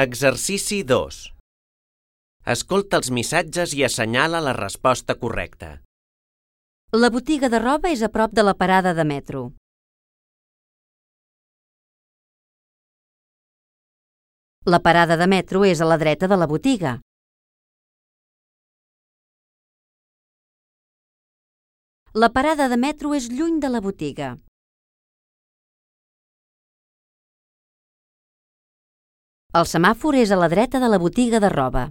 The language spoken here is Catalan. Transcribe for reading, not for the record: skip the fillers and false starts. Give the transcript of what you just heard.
Exercici 2. Escolta els missatges i assenyala la resposta correcta. La botiga de roba és a prop de la parada de metro. La parada de metro és a la dreta de la botiga. La parada de metro és lluny de la botiga. El semàfor és a la dreta de la botiga de roba.